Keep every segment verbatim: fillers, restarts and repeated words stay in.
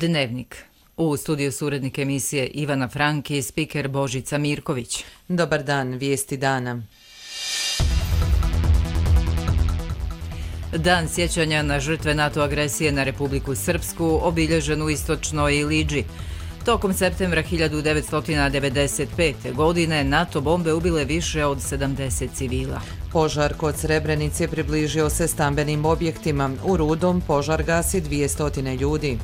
Dnevnik. U studiju su urednik emisije Ivana Frank i spiker Božica Mirković. Dobar dan, vijesti dana. Dan sjećanja na žrtve NATO agresije na Republiku Srpsku obilježen u istočnoj Ilidži. Tokom septembra hiljadu devetsto devedeset pete. godine NATO bombe ubile više od sedamdeset civila. Požar kod Srebrenice približio se stambenim objektima. U Rudom požar gasi dvjesto ljudi.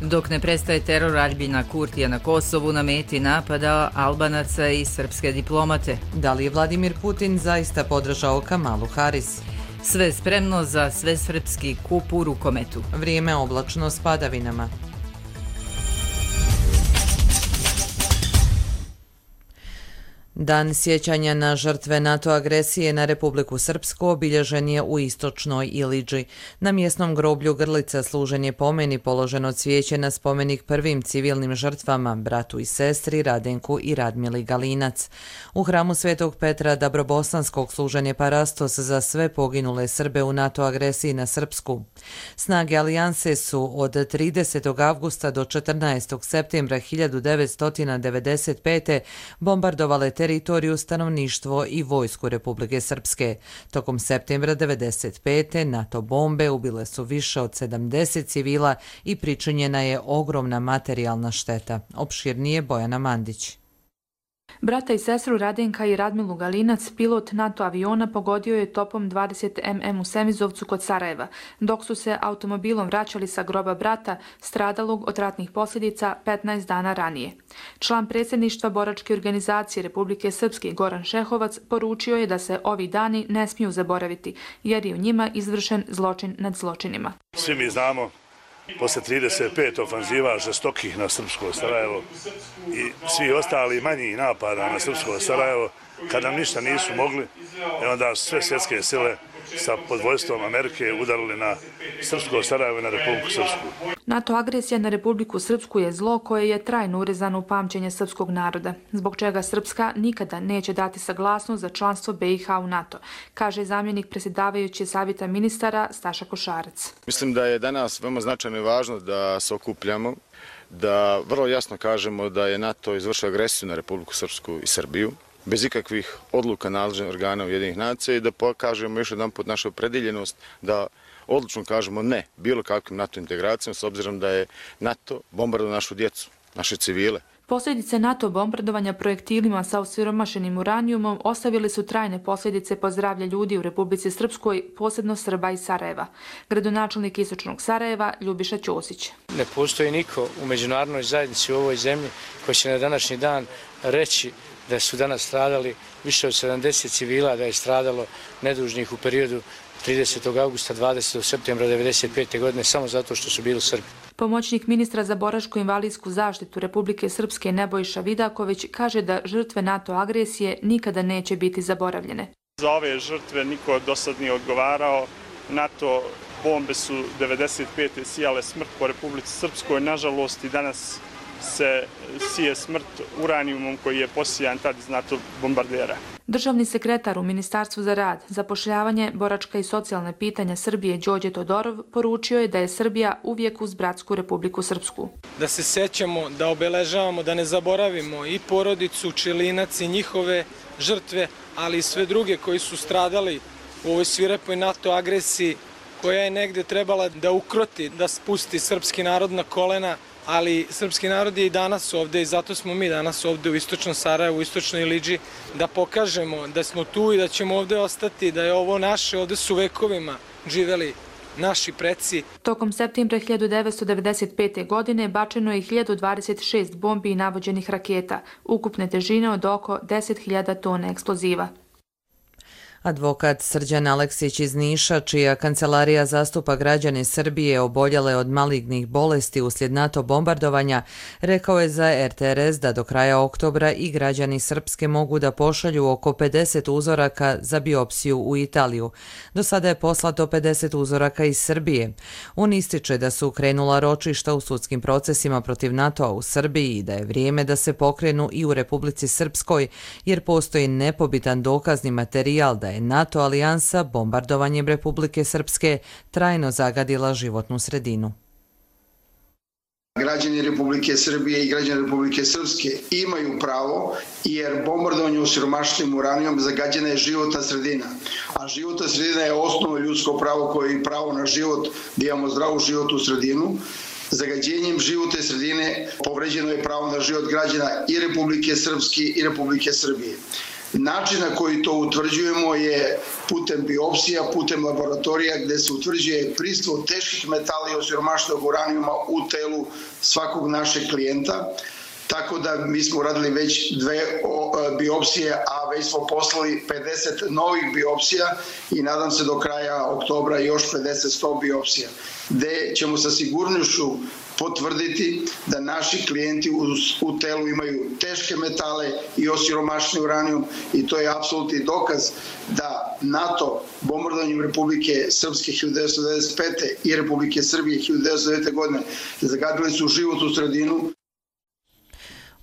Dok ne prestaje teror Aljbina Kurtija na Kosovu na meti napada Albanaca i srpske diplomate. Da li je Vladimir Putin zaista podržao Kamalu Haris? Sve spremno za svesrpski kup u rukometu. Vrijeme oblačno s padavinama. Dan sjećanja na žrtve NATO agresije na Republiku Srpsku obilježen je u istočnoj Ilidži. Na mjesnom groblju Grlica služen je pomen i položeno cvijeće na spomenik prvim civilnim žrtvama, bratu i sestri Radenku i Radmili Galinac. U hramu Svetog Petra Dabrobosanskog služen je parastos za sve poginule Srbe u NATO agresiji na Srpsku. Snage alijanse su od tridesetog avgusta do četrnaestog septembra hiljadu devetsto devedeset pete. bombardovale teritoriju, stanovništvo i vojsku Republike Srpske. Tokom septembra devedeset pete. NATO bombe ubile su više od sedamdeset civila i pričinjena je ogromna materijalna šteta. Opširnije Bojana Mandić. Brata i sestru Radenka i Radmilu Galinac, pilot NATO aviona, pogodio je topom dvadeset milimetra u Semizovcu kod Sarajeva, dok su se automobilom vraćali sa groba brata, stradalog od ratnih posljedica petnaest dana ranije. Član predsjedništva boračke organizacije Republike Srpske Goran Šehovac poručio je da se ovi dani ne smiju zaboraviti, jer je u njima izvršen zločin nad zločinima. Svi mi znamo, posle trideset pet ofanziva žestokih na srpsko Sarajevo i svi ostali manji napada na srpsko Sarajevo, kada nam ništa nisu mogli, onda sve svjetske sile sa podvojstvom Amerike udarili na srpsko Sarajevo i na Republiku Srpsku. NATO agresija na Republiku Srpsku je zlo koje je trajno urezano u pamćenje srpskog naroda, zbog čega Srpska nikada neće dati saglasnost za članstvo B i H u NATO, kaže zamjenik predsjedavajuće savjeta ministara Staša Košarac. Mislim da je danas veoma značajno i važno da se okupljamo, da vrlo jasno kažemo da je NATO izvršio agresiju na Republiku Srpsku i Srbiju, bez ikakvih odluka nadležnih organa Ujedinjenih nacija i da pokažemo još jedan put našu opredeljenost da odlučno kažemo ne bilo kakvim NATO integracijama s obzirom da je NATO bombardovao našu djecu, naše civile. Posljedice NATO bombardovanja projektilima sa osiromašenim uranijumom ostavili su trajne posljedice po zdravlje ljudi u Republici Srpskoj, posebno Srba iz Sarajeva. Gradonačelnik istočnog Sarajeva Ljubiša Ćosić. Ne postoji niko u međunarodnoj zajednici u ovoj zemlji koji će na današnji dan reći da su danas stradali više od sedamdeset civila, da je stradalo nedužnih u periodu tridesetog avgusta do dvadesetog septembra devedeset pete. godine samo zato što su bili Srbi. Pomoćnik ministra za boračko-invalidsku zaštitu Republike Srpske Nebojša Vidaković kaže da žrtve NATO agresije nikada neće biti zaboravljene. Za ove žrtve niko do sad nije odgovarao. NATO bombe su devedeset pete. sijale smrt po Republici Srpskoj. Nažalost i danas se sije smrt uranijumom koji je posijan tad iz NATO bombardera. Državni sekretar u Ministarstvu za rad, zapošljavanje, boračka i socijalne pitanja Srbije Đorđe Todorov poručio je da je Srbija uvijek uz bratsku Republiku Srpsku. Da se sećamo, da obeležavamo, da ne zaboravimo i porodicu Čelinac i njihove žrtve, ali i sve druge koji su stradali u ovoj svirepoj NATO agresiji koja je negde trebala da ukroti, da spusti srpski narod na kolena, ali srpski narod je i danas ovde i zato smo mi danas ovde u istočnom Sarajevu, u istočnoj Ilidži, da pokažemo da smo tu i da ćemo ovde ostati, da je ovo naše, ovde su vekovima živeli naši preci. Tokom septembra hiljadu devetsto devedeset pete. godine bačeno je hiljadu dvadeset šest bombi i navođenih raketa, ukupne težine od oko deset hiljada tona eksploziva. Advokat Srđan Aleksić iz Niša, čija kancelarija zastupa građane Srbije oboljele od malignih bolesti uslijed NATO bombardovanja, rekao je za R T R S da do kraja oktobra i građani Srpske mogu da pošalju oko pedeset uzoraka za biopsiju u Italiju. Do sada je poslato pedeset uzoraka iz Srbije. On ističe da su krenula ročišta u sudskim procesima protiv NATO-a u Srbiji i da je vrijeme da se pokrenu i u Republici Srpskoj, jer postoji nepobitan dokazni materijal da je NATO alijansa bombardovanjem Republike Srpske trajno zagadila životnu sredinu. Građani Republike Srbije i građani Republike Srpske imaju pravo, jer bombardovanje osiromašenim uranijom zagađena je životna sredina. A životna sredina je osnovno ljudsko pravo koje je pravo na život, da imamo zdravu životnu sredinu. Zagađenjem životne sredine povređeno je pravo na život građana i Republike Srpske i Republike Srbije. Način na koji to utvrđujemo je putem biopsija, putem laboratorija gde se utvrđuje prisustvo teških metala i osiromašenog uranijuma u telu svakog našeg klijenta. Tako da mi smo uradili već dve biopsije, a već smo poslali pedeset novih biopsija i nadam se do kraja oktobra još pedeset do sto biopsija, gde ćemo sa sigurnošću potvrditi da naši klijenti u telu imaju teške metale i osiromašeni uranijum, i to je apsolutni dokaz da NATO bombardovanjem Republike Srpske hiljadu devetsto devedeset pete i Republike Srbije hiljadu devetsto devete. godine zagadili su životnu sredinu.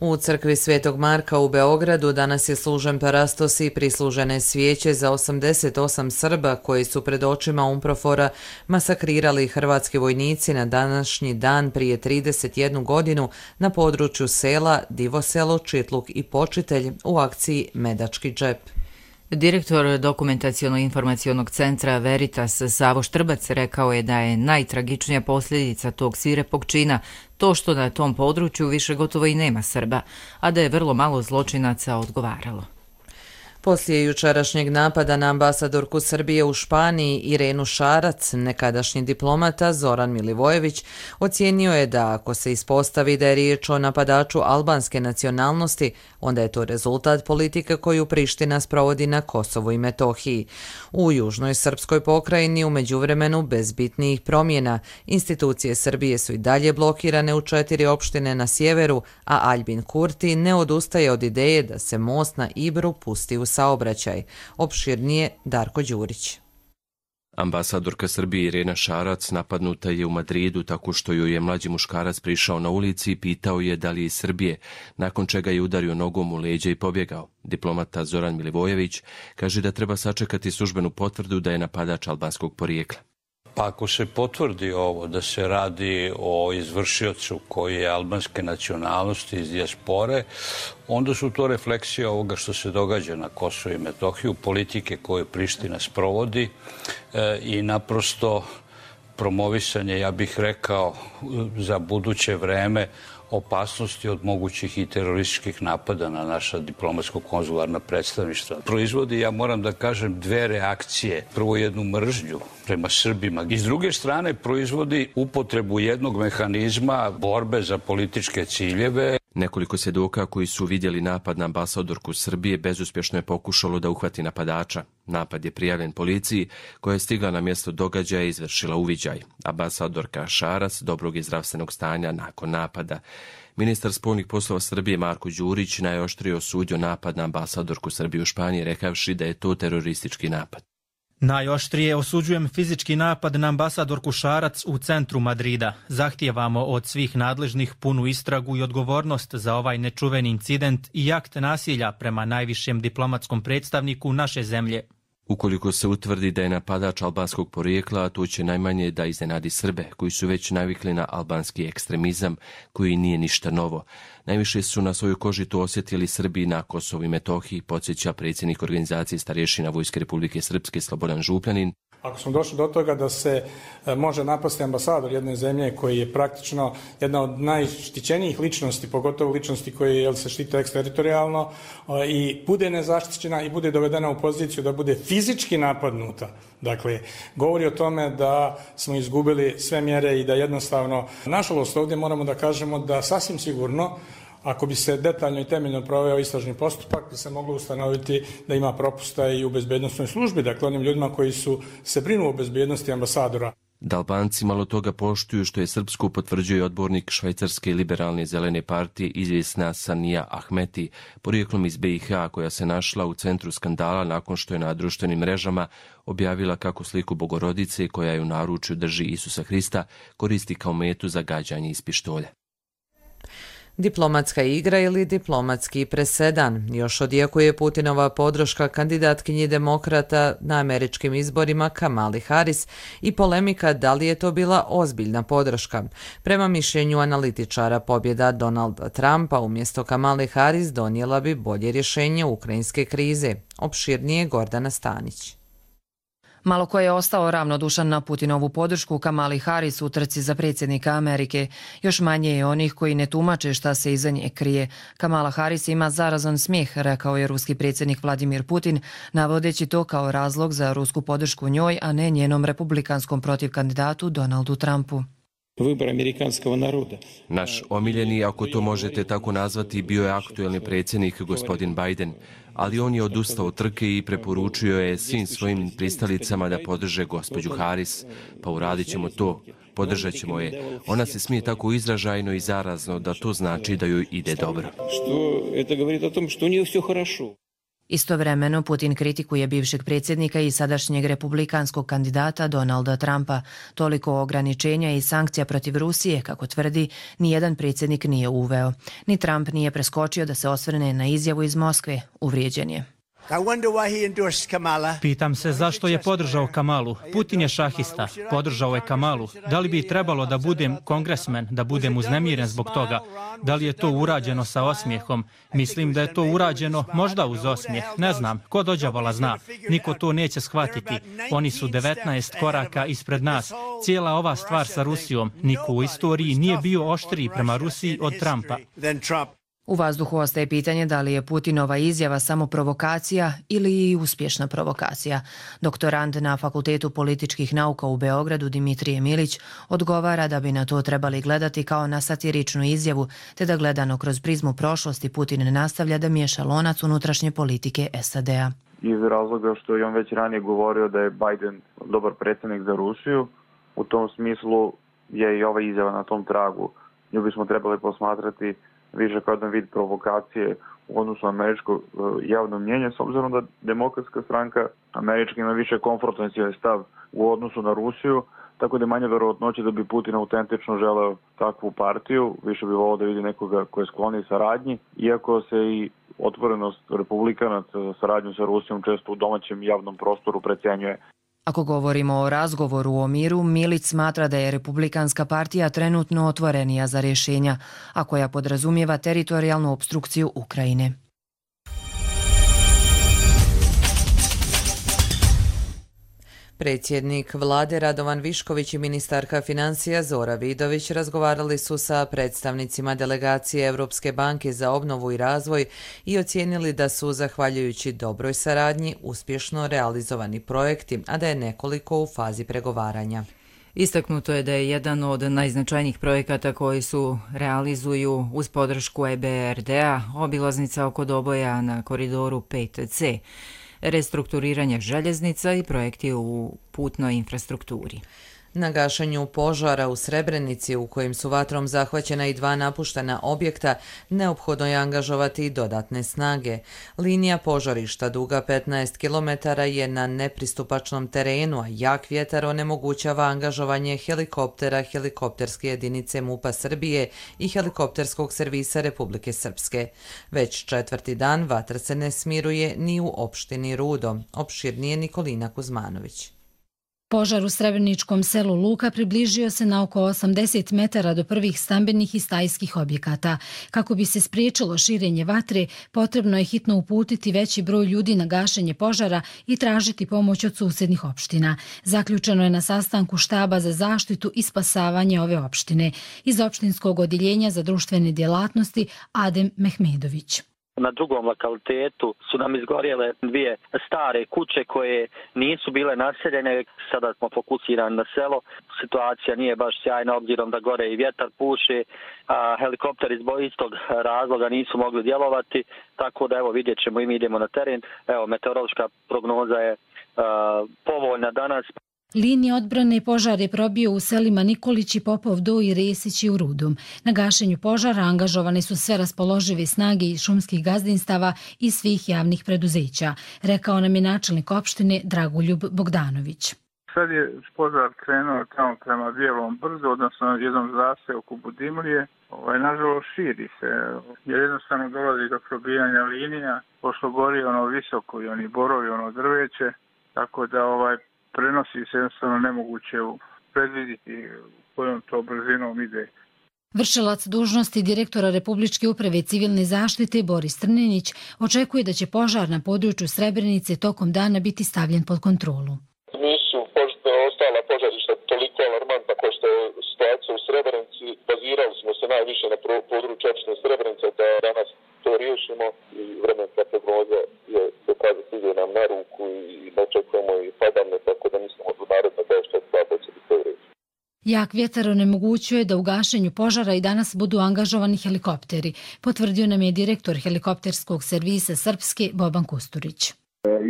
U crkvi Svetog Marka u Beogradu danas je služen parastos i prislužene svijeće za osamdeset osam Srba koji su pred očima UNPROFOR-a masakrirali hrvatski vojnici na današnji dan prije trideset jednu godinu na području sela Divoselo, Čitluk i Počitelj u akciji Medački džep. Direktor Dokumentaciono-informacionog centra Veritas Savo Štrbac rekao je da je najtragičnija posljedica tog svirepog čina to što na tom području više gotovo i nema Srba, a da je vrlo malo zločinaca odgovaralo. Poslije jučerašnjeg napada na ambasadorku Srbije u Španiji Irenu Šarac, nekadašnji diplomata Zoran Milivojević ocijenio je da ako se ispostavi da je riječ o napadaču albanske nacionalnosti, onda je to rezultat politike koju Priština sprovodi na Kosovu i Metohiji. U južnoj srpskoj pokrajini u međuvremenu bez bitnijih promjena institucije Srbije su i dalje blokirane u četiri opštine na sjeveru, a Aljbin Kurti ne odustaje od ideje da se most na Ibru pusti u saobraćaj. Opširnije Darko Đurić. Ambasadorka Srbije Irena Šarac napadnuta je u Madridu tako što joj je mlađi muškarac prišao na ulici i pitao je da li je iz Srbije, nakon čega je udario nogom u leđa i pobjegao. Diplomata Zoran Milivojević kaže da treba sačekati službenu potvrdu da je napadač albanskog porijekla. Pa ako se potvrdi ovo da se radi o izvršiocu koji je albanske nacionalnosti iz dijaspore, onda su to refleksije ovoga što se događa na Kosovu i Metohiju, politike koje Priština sprovodi e, i naprosto promovisanje, ja bih rekao, za buduće vreme opasnosti od mogućih i terorističkih napada na naša diplomatsko-konzularna predstavništva. Proizvodi, ja moram da kažem, dve reakcije. Prvo jednu mržnju prema Srbima i s druge strane proizvodi upotrebu jednog mehanizma borbe za političke ciljeve. Nekoliko svjedoka koji su vidjeli napad na ambasadorku Srbije bezuspješno je pokušalo da uhvati napadača. Napad je prijavljen policiji koja je stigla na mjesto događaja i izvršila uviđaj. Ambasadorka Šarac dobrog je zdravstvenog stanja nakon napada. Ministar spoljnih poslova Srbije Marko Đurić najoštrije osudio napad na ambasadorku Srbije u Španiji, rekavši da je to teroristički napad. Najoštrije osuđujem fizički napad na ambasadorku Šarac u centru Madrida. Zahtijevamo od svih nadležnih punu istragu i odgovornost za ovaj nečuveni incident i akt nasilja prema najvišem diplomatskom predstavniku naše zemlje. Ukoliko se utvrdi da je napadač albanskog porijekla, to će najmanje da iznenadi Srbe, koji su već navikli na albanski ekstremizam, koji nije ništa novo. Najviše su na svojoj koži to osjetili Srbi na Kosovu i Metohiji, podsjeća predsjednik organizacije starješina Vojske Republike Srpske Slobodan Župljanin. Ako smo došli do toga da se može napasti ambasador jedne zemlje koji je praktično jedna od najštićenijih ličnosti, pogotovo ličnosti koje jel, se štite eksteritorijalno i bude nezaštićena i bude dovedena u poziciju da bude fizički napadnuta. Dakle, govori o tome da smo izgubili sve mjere i da jednostavno, nažalost ovdje moramo da kažemo da sasvim sigurno, ako bi se detaljno i temeljno proveo istražni postupak, bi se moglo ustanoviti da ima propusta i u bezbednosnoj službi, dakle onim ljudima koji su se brinu o bezbednosti ambasadora. Da Albanci malo toga poštuju što je srpsku potvrđuje odbornik švajcarske liberalne zelene partije izvjesna Sanija Ahmeti, porijeklom iz B i H, koja se našla u centru skandala nakon što je na društvenim mrežama objavila kako sliku Bogorodice, koja je u naručju drži Isusa Hrista, koristi kao metu za gađanje iz pištolja. Diplomatska igra ili diplomatski presedan. Još odjekuje Putinova podrška kandidatkinji demokrata na američkim izborima Kamali Harris i polemika da li je to bila ozbiljna podrška. Prema mišljenju analitičara, pobjeda Donalda Trumpa umjesto Kamale Harris donijela bi bolje rješenje ukrajinske krize. Opširnije Gordana Stanić. Malo ko je ostao ravnodušan na Putinovu podršku Kamali Harris u trci za predsjednika Amerike. Još manje je onih koji ne tumače šta se iza nje krije. Kamala Harris ima zarazan smijeh, rekao je ruski predsjednik Vladimir Putin, navodeći to kao razlog za rusku podršku njoj, a ne njenom republikanskom protivkandidatu Donaldu Trumpu. Vybor amerikanskog naroda. Naš omiljeni, ako to možete tako nazvati, bio je aktuelni predsjednik gospodin Biden, ali on je odustao od trke i preporučio je svim svojim pristalicama da podrže gospođu Harris. Pa uradit ćemo to, podržat ćemo je. Ona se smije tako izražajno i zarazno da to znači da joj ide dobro. Što to govori o tom što nije sve хорошо. Istovremeno, Putin kritikuje bivšeg predsjednika i sadašnjeg republikanskog kandidata Donalda Trumpa. Toliko ograničenja i sankcija protiv Rusije, kako tvrdi, nijedan predsjednik nije uveo. Ni Trump nije preskočio da se osvrne na izjavu iz Moskve. Uvrijeđen je. Pitam se zašto je podržao Kamalu. Putin je šahista. Podržao je Kamalu. Da li bi trebalo da budem kongresmen, da budem uznemiren zbog toga? Da li je to urađeno sa osmijehom? Mislim da je to urađeno možda uz osmijeh. Ne znam. Ko dođavola zna. Niko to neće shvatiti. Oni su devetnaest koraka ispred nas. Cijela ova stvar sa Rusijom. Niko u istoriji nije bio oštriji prema Rusiji od Trumpa. U vazduhu ostaje pitanje da li je Putinova izjava samo provokacija ili i uspješna provokacija. Doktorant na Fakultetu političkih nauka u Beogradu Dimitrije Milić odgovara da bi na to trebali gledati kao na satiričnu izjavu, te da gledano kroz prizmu prošlosti Putin nastavlja da miješa lonac unutrašnje politike S A D-a. Iz razloga što je on već ranije govorio da je Biden dobar predsjednik za Rusiju, u tom smislu je i ova izjava na tom tragu. Nju bismo trebali posmatrati više kao jedan vid provokacije u odnosu na američko javno mnjenje, s obzirom da demokratska stranka američka ima više konfrontacioni stav u odnosu na Rusiju, tako da je manje verovatnoće da bi Putin autentično želeo takvu partiju, više bi volio da vidi nekoga koji je skloni saradnji, iako se i otvorenost republikanaca za saradnju sa Rusijom često u domaćem javnom prostoru precenjuje. Ako govorimo o razgovoru o miru, Milić smatra da je Republikanska partija trenutno otvorenija za rješenja, a koja podrazumijeva teritorijalnu opstrukciju Ukrajine. Predsjednik vlade Radovan Višković i ministarka financija Zora Vidović razgovarali su sa predstavnicima delegacije Europske banke za obnovu i razvoj i ocijenili da su, zahvaljujući dobroj saradnji, uspješno realizovani projekti, a da je nekoliko u fazi pregovaranja. Istaknuto je da je jedan od najznačajnijih projekata koji su realizuju uz podršku E B R D-a obilaznica oko Doboja na koridoru pet C, restrukturiranje željeznica i projekti u putnoj infrastrukturi. Na gašenju požara u Srebrenici, u kojim su vatrom zahvaćena i dva napuštena objekta, neophodno je angažovati dodatne snage. Linija požarišta duga petnaest kilometara je na nepristupačnom terenu, a jak vjetar onemogućava angažovanje helikoptera, helikopterske jedinice MUP-a Srbije i helikopterskog servisa Republike Srpske. Već četvrti dan vatra se ne smiruje ni u opštini Rudo. Opširnije Nikolina Kuzmanović. Požar u srebreničkom selu Luka približio se na oko osamdeset metara do prvih stambenih i stajskih objekata. Kako bi se spriječilo širenje vatre, potrebno je hitno uputiti veći broj ljudi na gašenje požara i tražiti pomoć od susjednih opština. Zaključeno je na sastanku štaba za zaštitu i spasavanje ove opštine. Iz opštinskog odjeljenja za društvene djelatnosti Adem Mehmedović. Na drugom lokalitetu su nam izgorjele dvije stare kuće koje nisu bile naseljene. Sada smo fokusirani na selo. Situacija nije baš sjajna obzirom da gore i vjetar puše, a helikopter iz istog razloga nisu mogli djelovati. Tako da evo vidjet ćemo i mi idemo na teren. Evo meteorološka prognoza je uh, povoljna danas. Linija odbrane požar je probio u selima Nikolić i Popov Do i Resić i u Rudom. Na gašenju požara angažovane su sve raspoložive snage iz šumskih gazdinstava i svih javnih preduzeća, rekao nam je načelnik opštine Dragoljub Bogdanović. Sad je požar krenuo tamo prema Bijelom brdu, odnosno jednom zaseoku Budimlije. Ovaj, nažalost, širi se, jer jednostavno dolazi do probijanja linija, pošto gori ono visoko i oni borovi, ono drveće, tako da ovaj, prenosi se jednostavno nemoguće predvidjeti kojom to brzinom ide. Vršilac dužnosti direktora Republičke uprave civilne zaštite Boris Trninić očekuje da će požar na području Srebrenice tokom dana biti stavljen pod kontrolu. Nisu ostala požarišta toliko alarmantna kao što je situacija u Srebrenici. Bazirali smo se najviše na području opštine Srebrenica da danas to riješimo i vremenska prognoza je dokazati ide nam na ruku i očekujemo i padanje, tako da mislimo da naredno da što slabo će biti u redu. Jak vjetar onemogućuje da u gašenju požara i danas budu angažovani helikopteri, potvrdio nam je direktor helikopterskog servisa Srpske Boban Kusturić.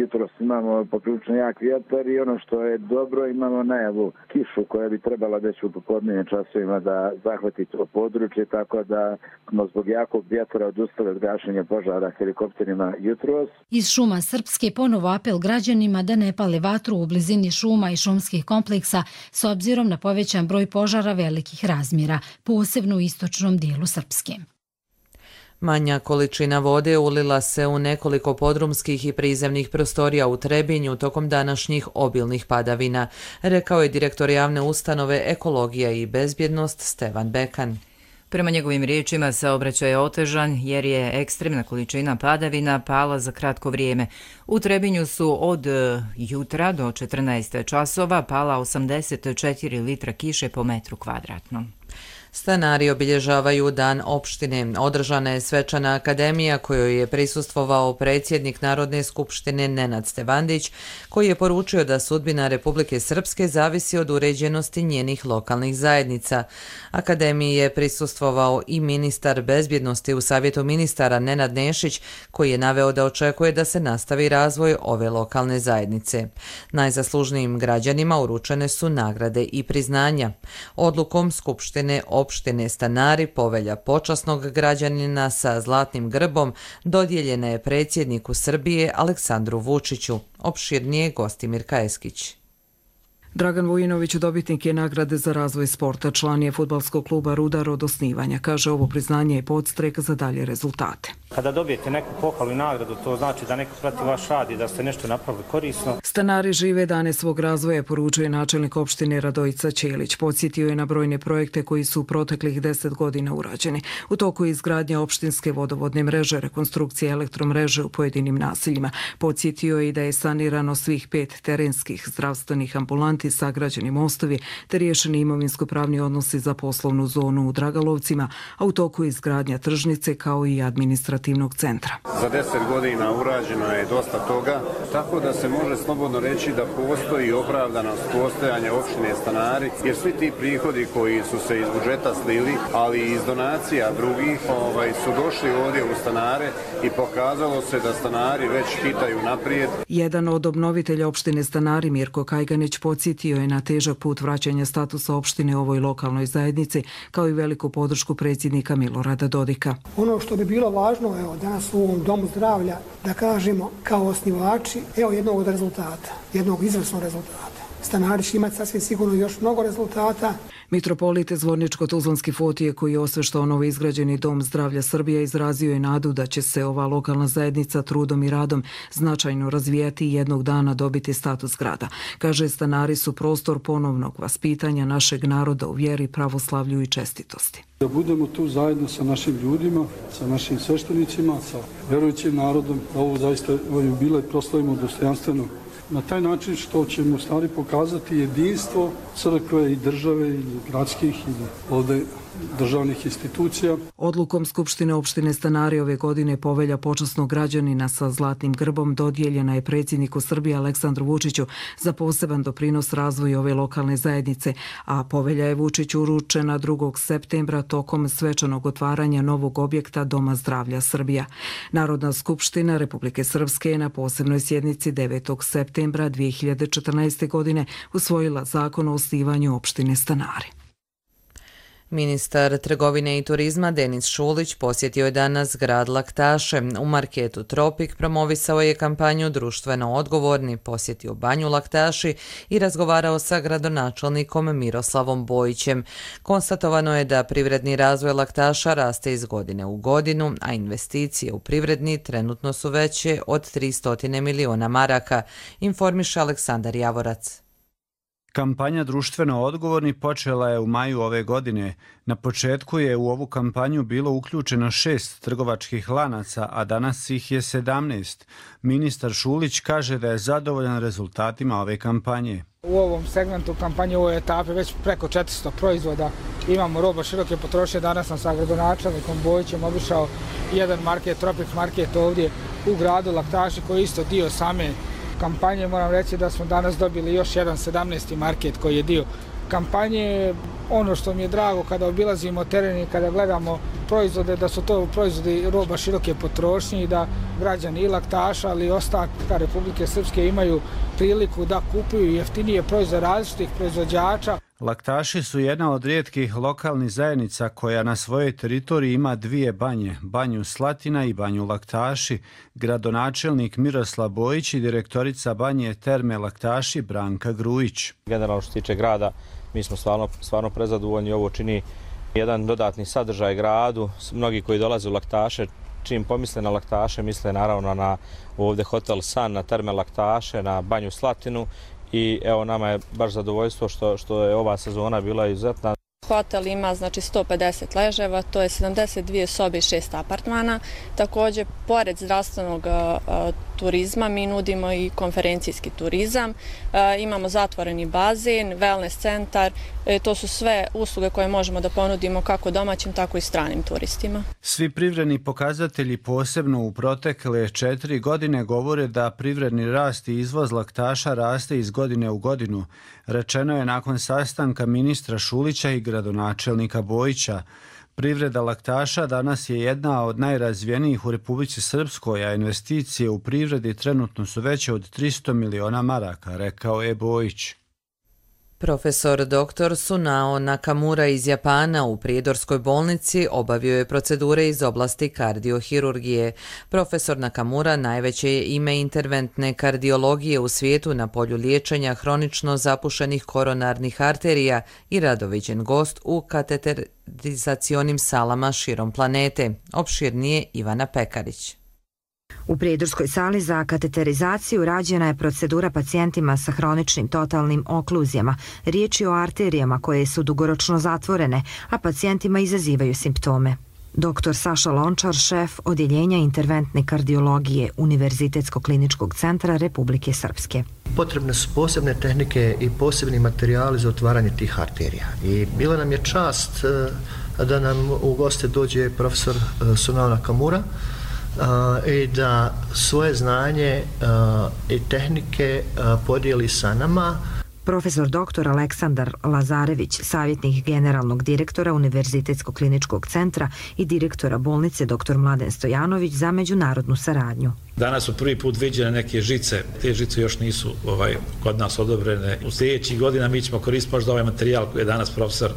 Jutros imamo poprilično jak vjetar i ono što je dobro, imamo najavu kišu koja bi trebala već u popodnevnim časovima da zahvati to područje, tako da smo zbog jakog vjetra odustali od gašenja požara helikopterima jutros. Iz šuma Srpske ponovo apel građanima da ne pale vatru u blizini šuma i šumskih kompleksa s obzirom na povećan broj požara velikih razmjera, posebno u istočnom dijelu Srpske. Manja količina vode ulila se u nekoliko podrumskih i prizemnih prostorija u Trebinju tokom današnjih obilnih padavina, rekao je direktor javne ustanove Ekologija i bezbjednost Stevan Bekan. Prema njegovim riječima saobraćaj je otežan jer je ekstremna količina padavina pala za kratko vrijeme. U Trebinju su od jutra do četrnaest časova pala osamdeset četiri litra kiše po metru kvadratnom. Stanari obilježavaju dan opštine. Održana je svečana akademija kojoj je prisustvovao predsjednik Narodne skupštine Nenad Stevandić, koji je poručio da sudbina Republike Srpske zavisi od uređenosti njenih lokalnih zajednica. Akademiji je prisustvovao i ministar bezbjednosti u Savjetu ministara Nenad Nešić, koji je naveo da očekuje da se nastavi razvoj ove lokalne zajednice. Najzaslužnijim građanima uručene su nagrade i priznanja. Odlukom Skupštine opštine Stanari povelja počasnog građanina sa zlatnim grbom dodijeljena je predsjedniku Srbije Aleksandru Vučiću. Opširnije Gostimir Kajeskić. Dragan Vujinović dobitnik je nagrade za razvoj sporta, član je fudbalskog kluba Rudar od osnivanja. Kaže, ovo priznanje je podstrek za dalje rezultate. Kada dobijete neku pohvalu i nagradu, to znači da neko prati vaš rad i da ste nešto napravili korisno. Stanari žive dane svog razvoja, poručuje načelnik opštine Radojica Ćelić. Podsjetio je na brojne projekte koji su u proteklih deset godina urađeni. U toku je izgradnja opštinske vodovodne mreže, rekonstrukcija elektromreže u pojedinim naseljima. Podsjetio je i da je sanirano svih pet terenskih zdravstvenih ambulanti, sagrađeni mostovi te riješeni imovinsko-pravni odnosi za poslovnu zonu u Dragalovcima, a u toku je izgradnja tržnice kao i administrativnog centra. Za deset godina urađeno je dosta toga, tako da se može slobodno reći da postoji opravdanost postojanja opštine Stanari, jer svi ti prihodi koji su se iz budžeta slili, ali i iz donacija drugih, ovaj, su došli ovdje u Stanare i pokazalo se da Stanari već hitaju naprijed. Jedan od obnovitelja opštine Stanari, Mirko Kajganić, podsjetio je na težak put vraćanja statusa opštine ovoj lokalnoj zajednici, kao i veliku podršku predsjednika Milorada Dodika. Ono što bi bilo važno, evo, danas u ovom domu zdravlja, da kažemo kao osnivači, evo jednog od rezultata, jednog izvrsnog rezultata. Stanari će imati sasvim sigurno još mnogo rezultata. Mitropolit Zvorničko-Tuzlanski Fotije, koji je osveštao novo izgrađeni dom zdravlja Srbije, izrazio je nadu da će se ova lokalna zajednica trudom i radom značajno razvijati i jednog dana dobiti status grada. Kaže, stanari su prostor ponovnog vaspitanja našeg naroda u vjeri, pravoslavlju i čestitosti. Da budemo tu zajedno sa našim ljudima, sa našim sveštenicima, sa vjerujućim narodom, da ovo zaista ovaj jubilej proslavimo dostojanstveno. Na taj način što ćemo stvari pokazati jedinstvo crkve i države i gradskih i ovdje državnih institucija. Odlukom Skupštine opštine Stanari ove godine povelja počasnog građanina sa zlatnim grbom dodijeljena je predsjedniku Srbije Aleksandru Vučiću za poseban doprinos razvoju ove lokalne zajednice, a povelja je Vučiću uručena drugog septembra tokom svečanog otvaranja novog objekta Doma zdravlja Srbija. Narodna skupština Republike Srpske je na posebnoj sjednici devetog septembra dvije hiljade četrnaeste. godine usvojila zakon o osnivanju opštine Stanari. Ministar trgovine i turizma Denis Šulić posjetio je danas grad Laktaše. U marketu Tropik promovisao je kampanju Društveno odgovorni, posjetio banju Laktaši i razgovarao sa gradonačelnikom Miroslavom Bojićem. Konstatovano je da privredni razvoj Laktaša raste iz godine u godinu, a investicije u privredni trenutno su veće od tristo miliona maraka, informiše Aleksandar Javorac. Kampanja Društveno odgovorni počela je u maju ove godine. Na početku je u ovu kampanju bilo uključeno šest trgovačkih lanaca, a danas ih je sedamnaest. Ministar Šulić kaže da je zadovoljan rezultatima ove kampanje. U ovom segmentu kampanje, u ovoj etapi već preko četiristo proizvoda imamo roba široke potrošnje. Danas sam sa gradonačelnikom Bojićem obišao jedan market, Tropik market ovdje u gradu Laktaši, koji je isto dio same kampanje. Moram reći da smo danas dobili još jedan sedamnaesti market koji je dio kampanje. Ono što mi je drago kada obilazimo teren i kada gledamo proizvode, da su to proizvodi roba široke potrošnje i da građani i Laktaša, ali i ostatka Republike Srpske imaju priliku da kupuju jeftinije proizvode različitih proizvođača. Laktaši su jedna od rijetkih lokalnih zajednica koja na svojoj teritoriji ima dvije banje, banju Slatina i banju Laktaši. Gradonačelnik Miroslav Bojić i direktorica banje Terme Laktaši Branka Grujić. Generalno što se tiče grada, mi smo stvarno, stvarno prezadovoljni. Ovo čini jedan dodatni sadržaj gradu. Mnogi koji dolaze u Laktaše, čim pomisle na Laktaše, misle naravno na ovdje Hotel San, na Terme Laktaše, na banju Slatinu. I evo, nama je baš zadovoljstvo što, što je ova sezona bila izuzetna. Hotel ima znači sto pedeset leževa, to je sedamdeset dvije sobe i šest apartmana. Također, pored zdravstvenog a, turizma, mi nudimo i konferencijski turizam. A, imamo zatvoreni bazen, wellness centar. E, to su sve usluge koje možemo da ponudimo kako domaćim, tako i stranim turistima. Svi privredni pokazatelji, posebno u protekle četiri godine, govore da privredni rast i izvoz Laktaša raste iz godine u godinu. Rečeno je nakon sastanka ministra Šulića i gradonačelnika Bojića. Privreda Laktaša danas je jedna od najrazvijenijih u Republici Srpskoj, a investicije u privredi trenutno su veće od tristo miliona maraka, rekao je Bojić. Profesor doktor Sunao Nakamura iz Japana u Prijedorskoj bolnici obavio je procedure iz oblasti kardiohirurgije. Profesor Nakamura najveće je ime interventne kardiologije u svijetu na polju liječenja hronično zapušenih koronarnih arterija i radoviđen gost u kateterizacionim salama širom planete. Opširnije Ivana Pekarić. U Prijedorskoj sali za kateterizaciju rađena je procedura pacijentima sa hroničnim totalnim okluzijama. Riječ je o arterijama koje su dugoročno zatvorene, a pacijentima izazivaju simptome. Doktor Saša Lončar, šef Odjeljenja interventne kardiologije Univerzitetskog kliničkog centra Republike Srpske. Potrebne su posebne tehnike i posebni materijali za otvaranje tih arterija. I bila nam je čast da nam u goste dođe profesor Sunao Nakamura, Uh, i da svoje znanje uh, i tehnike uh, podijeli sa nama. Profesor doktor Aleksandar Lazarević, savjetnik generalnog direktora Univerzitetskog kliničkog centra i direktora bolnice doktor Mladen Stojanović za međunarodnu saradnju. Danas su prvi put viđene neke žice, te žice još nisu ovaj, kod nas odobrene. U sljedećih godina mi ćemo koristiti možda ovaj materijal koji je danas profesor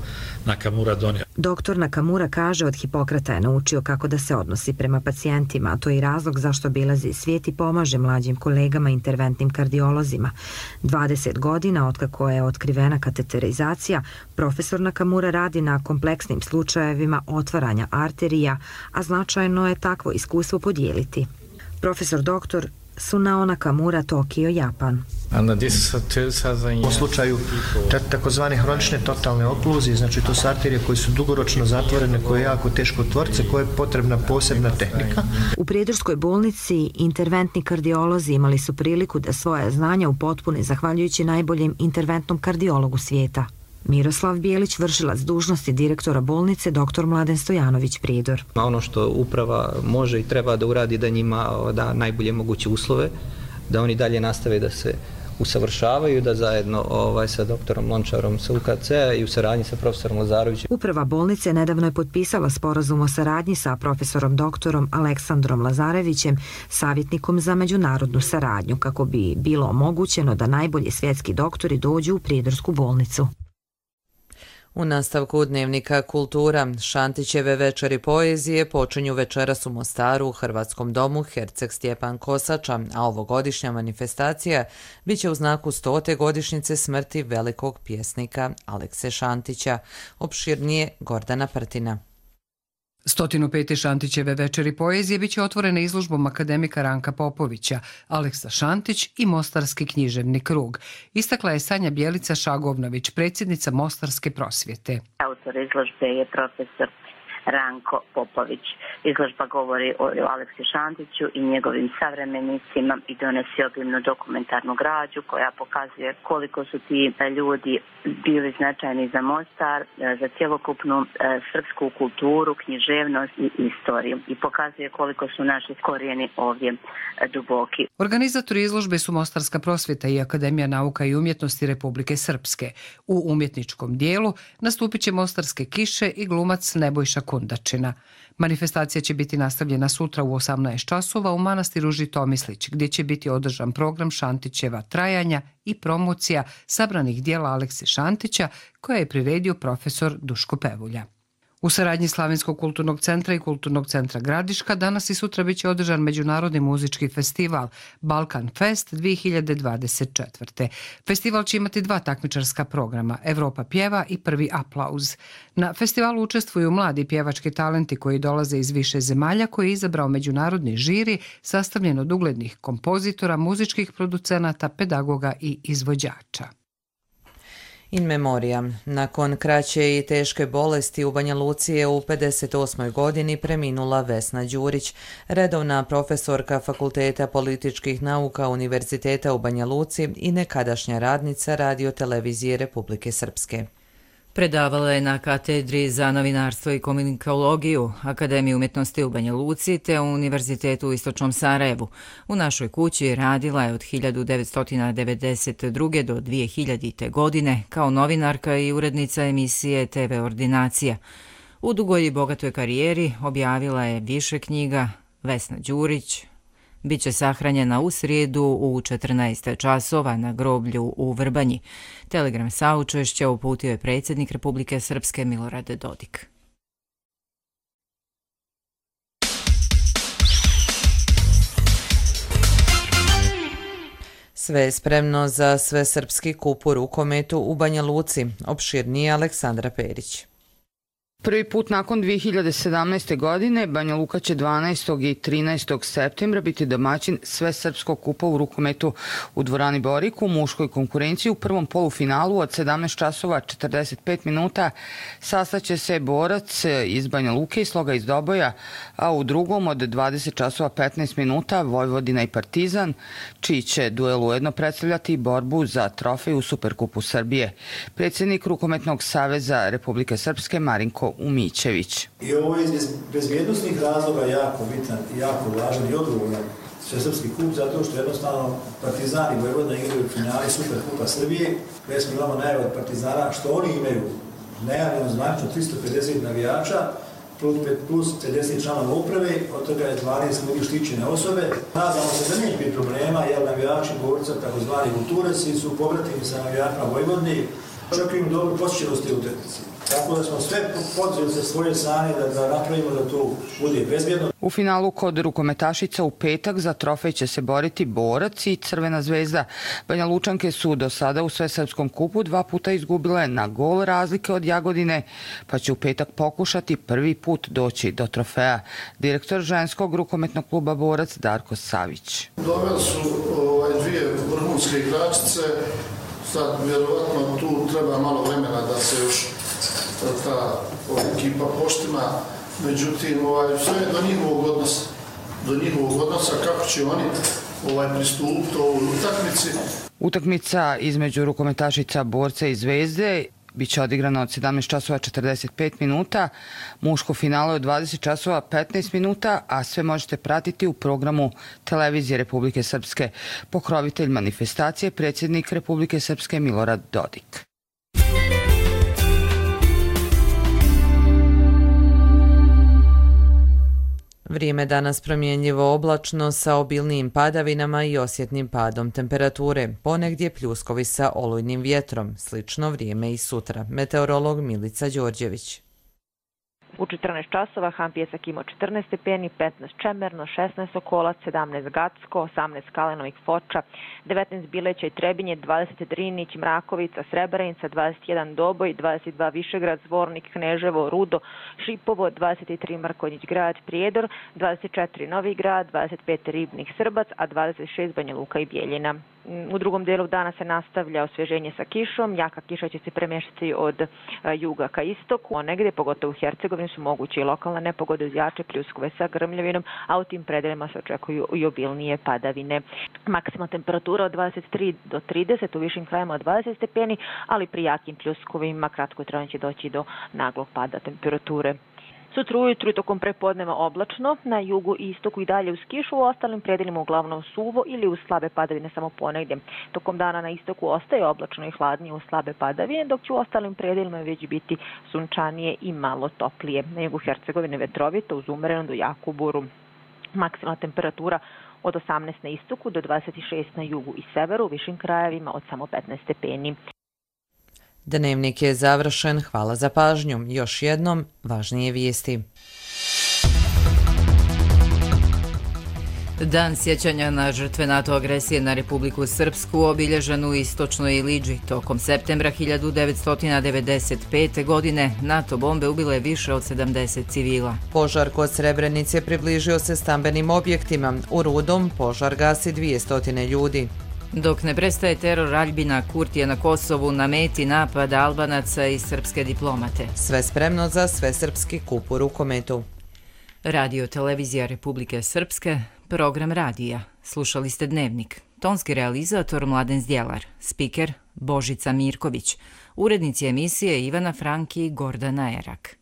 Nakamura donio. Doktor Nakamura kaže od Hipokrata je naučio kako da se odnosi prema pacijentima, a to je i razlog zašto obilazi svijet i pomaže mlađim kolegama interventnim kardiolozima. dvadeset godina otkako je otkrivena kateterizacija, profesor Nakamura radi na kompleksnim slučajevima otvaranja arterija, a značajno je takvo iskustvo podijeliti. Profesor doktor Sunao Nakamura, Tokio, Japan. U slučaju takozvane hronične totalne okluzije, znači to su arterije koje su dugoročno zatvorene, koje je jako teško otvoriti, koje je potrebna posebna tehnika. U Prijedorskoj bolnici interventni kardiolozi imali su priliku da svoja znanja upotpune zahvaljujući najboljem interventnom kardiologu svijeta. Miroslav Bijelić, vršilac dužnosti direktora bolnice, doktor Mladen Stojanović, Prijedor. Ono što uprava može i treba da uradi, da njima da najbolje moguće uslove, da oni dalje nastave da se usavršavaju, da zajedno ovaj, sa doktorom Lončarom sa U K C-a i u saradnji sa profesorom Lazarovićem. Uprava bolnice nedavno je potpisala sporazum o saradnji sa profesorom doktorom Aleksandrom Lazarevićem, savjetnikom za međunarodnu saradnju, kako bi bilo omogućeno da najbolji svjetski doktori dođu u Prijedorsku bolnicu. U nastavku dnevnika Kultura, Šantićeve večeri poezije počinju večeras u Mostaru u Hrvatskom domu Herceg Stjepan Kosača, a ovogodišnja manifestacija biće u znaku stote godišnjice smrti velikog pjesnika Alekse Šantića. Opširnije Gordana Prtina. sto pet. Šantićeve večeri poezije biće otvorene izložbom akademika Ranka Popovića, Aleksa Šantić i Mostarski književni krug. Istakla je Sanja Bjelica Šagovnović, predsjednica Mostarske prosvjete. Autor izložbe je profesor Ranko Popović. Izložba govori o Aleksi Šantiću i njegovim savremenicima i donosi obimnu dokumentarnu građu koja pokazuje koliko su ti ljudi bili značajni za Mostar, za cjelokupnu srpsku kulturu, književnost i istoriju i pokazuje koliko su naši korijeni ovdje duboki. Organizatori izložbe su Mostarska prosvjeta i Akademija nauka i umjetnosti Republike Srpske. U umjetničkom dijelu nastupit će Mostarske kiše i glumac Nebojša Kundačina. Manifestacija će biti nastavljena sutra u osamnaest časova u manastiru Žitomislić, gdje će biti održan program Šantićeva trajanja i promocija sabranih dijela Alekse Šantića koje je priredio profesor Duško Pevulja. U saradnji Slavinskog kulturnog centra i Kulturnog centra Gradiška danas i sutra biće održan Međunarodni muzički festival Balkan Fest dvije hiljade dvadeset četvrte. Festival će imati dva takmičarska programa, Evropa pjeva i Prvi aplauz. Na festivalu učestvuju mladi pjevački talenti koji dolaze iz više zemalja koji je izabrao međunarodni žiri sastavljen od uglednih kompozitora, muzičkih producenata, pedagoga i izvođača. In memoriam. Nakon kraće i teške bolesti u Banja Luci je u pedeset osmoj godini preminula Vesna Đurić, redovna profesorka Fakulteta političkih nauka Univerziteta u Banja Luci i nekadašnja radnica Radio-televizije Republike Srpske. Predavala je na katedri za novinarstvo i komunikologiju Akademije umjetnosti u Banja Luci te u Univerzitetu u Istočnom Sarajevu. U našoj kući radila je od hiljadu devetsto devedeset druge do dvije hiljadite. godine kao novinarka i urednica emisije T V Ordinacija. U dugoj i bogatoj karijeri objavila je više knjiga. Vesna Đurić biće sahranjena u srijedu u četrnaest časova na groblju u Vrbanji. Telegram saučešća uputio je predsjednik Republike Srpske Milorad Dodik. Sve je spremno za svesrpski kup u rukometu u Banja Luci. Opširnije Aleksandra Perić. Prvi put nakon dvije hiljade sedamnaeste. godine Banja Luka će dvanaestog i trinaestog septembra biti domaćin svesrpskog kupa u rukometu u dvorani Borik u muškoj konkurenciji. U prvom polufinalu od sedamnaest časova četrdeset pet minuta sastaće se borac iz Banja Luke i Sloga iz Doboja, a u drugom od dvadeset časova petnaest minuta Vojvodina i Partizan, čiji će duel ujedno predstavljati borbu za trofej u Superkupu Srbije. Predsjednik Rukometnog saveza Republike Srpske Marinko Umićević. I ovo je iz bezbjednostnih razloga jako bitan i jako važan i odgovoran svesrpski kup, zato što jednostavno Partizan i Vojvodina igraju u finali Superkupa Srbije. Već smo imamo najave od Partizana što oni imaju najavljeno zvančno tristo pedeset navijača plus pedeset članova uprave, od toga je dvanaest ljudi štićene osobe. Nadamo se da nije biti problema, jer navijači borca, takozvani kultureci, su povratili sa navijačima Vojvodini. Očekujem dobru posjećenosti u utakmici. Tako da smo sve podzeli sa svoje strane da, da napravimo da to bude bezbjedno. U finalu kod rukometašica u petak za trofej će se boriti Borac i Crvena zvezda. Banja Lučanke su do sada u svesrpskom kupu dva puta izgubile na gol razlike od Jagodine, pa će u petak pokušati prvi put doći do trofeja. Direktor ženskog rukometnog kluba Borac Darko Savić. Doveli su ovaj, dvije vrhunske igračice. Sad, vjerovatno, tu treba malo vremena da se još ta ekipa poštima. Međutim, ovaj, sve je do njihovog odnosa. Do njihovog odnosa kako će oni ovaj, pristupiti ovoj utakmici. Utakmica između rukometašica Borca i Zvezde biće odigrana od sedamnaest časova četrdeset pet minuta, muško finale od dvadeset časova petnaest minuta, a sve možete pratiti u programu Televizije Republike Srpske. Pokrovitelj manifestacije, predsjednik Republike Srpske Milorad Dodik. Vrijeme danas promjenljivo oblačno sa obilnijim padavinama i osjetnim padom temperature, ponegdje pljuskovi sa olujnim vjetrom, slično vrijeme i sutra. Meteorolog Milica Đorđević. U četrnaest časova Han Pjesak imao četrnaest stepeni, petnaest Čemerno, šesnaest Sokolac, sedamnaest Gacko, osamnaest Kalenovih Foča, devetnaest Bileća i Trebinje, dvadeset Drinić, Mrakovica, Srebrenica, dvadeset jedan Doboj, dvadeset dva Višegrad, Zvornik, Kneževo, Rudo, Šipovo, dvadeset tri Mrkonjić Grad, Prijedor, dvadeset četiri Novi Grad, dvadeset pet Ribnik, Srbac, a dvadeset šest Banja Luka i Bijeljina. U drugom dijelu dana se nastavlja osvježenje sa kišom, jaka kiša će se premještati od juga ka istoku, a negdje, pogotovo u Hercegovini, su moguće i lokalne nepogode uz jače pljuskove sa grmljavinom, a u tim predelima se očekuju i obilnije padavine. Maksimalna temperatura od dvadeset tri do trideset, u višim krajima od dvadeset stepeni, ali pri jakim pljuskovima kratko trajno će doći do naglog pada temperature. Sutra ujutru i tokom prepodneva oblačno, na jugu i istoku i dalje uz kišu, u ostalim predelima uglavnom suvo ili uz slabe padavine samo ponegdje. Tokom dana na istoku ostaje oblačno i hladnije uz slabe padavine, dok će u ostalim predelima već biti sunčanije i malo toplije. Na jugu Hercegovine vetrovito uz umerenu do jaku buru. Maksimalna temperatura od osamnaest na istoku do dvadeset šest na jugu i severu, u višim krajevima od samo petnaest stepeni. Dnevnik je završen, hvala za pažnju. Još jednom, važnije vijesti. Dan sjećanja na žrtve NATO agresije na Republiku Srpsku obilježen u istočnoj Iliđi. Tokom septembra hiljadu devetsto devedeset pete. godine NATO bombe ubile više od sedamdeset civila. Požar kod Srebrenice približio se stambenim objektima. U Rudom požar gasi dvjesto ljudi. Dok ne prestaje teror Aljbina Kurtija na Kosovu, na meti napada Albanaca i srpske diplomate. Sve spremno za svesrpski kup u rukometu. Radio Televizija Republike Srpske, program radija. Slušali ste Dnevnik. Tonski realizator Mladen Zdjelar, spiker Božica Mirković, urednici emisije Ivana Franki i Gordana Erak.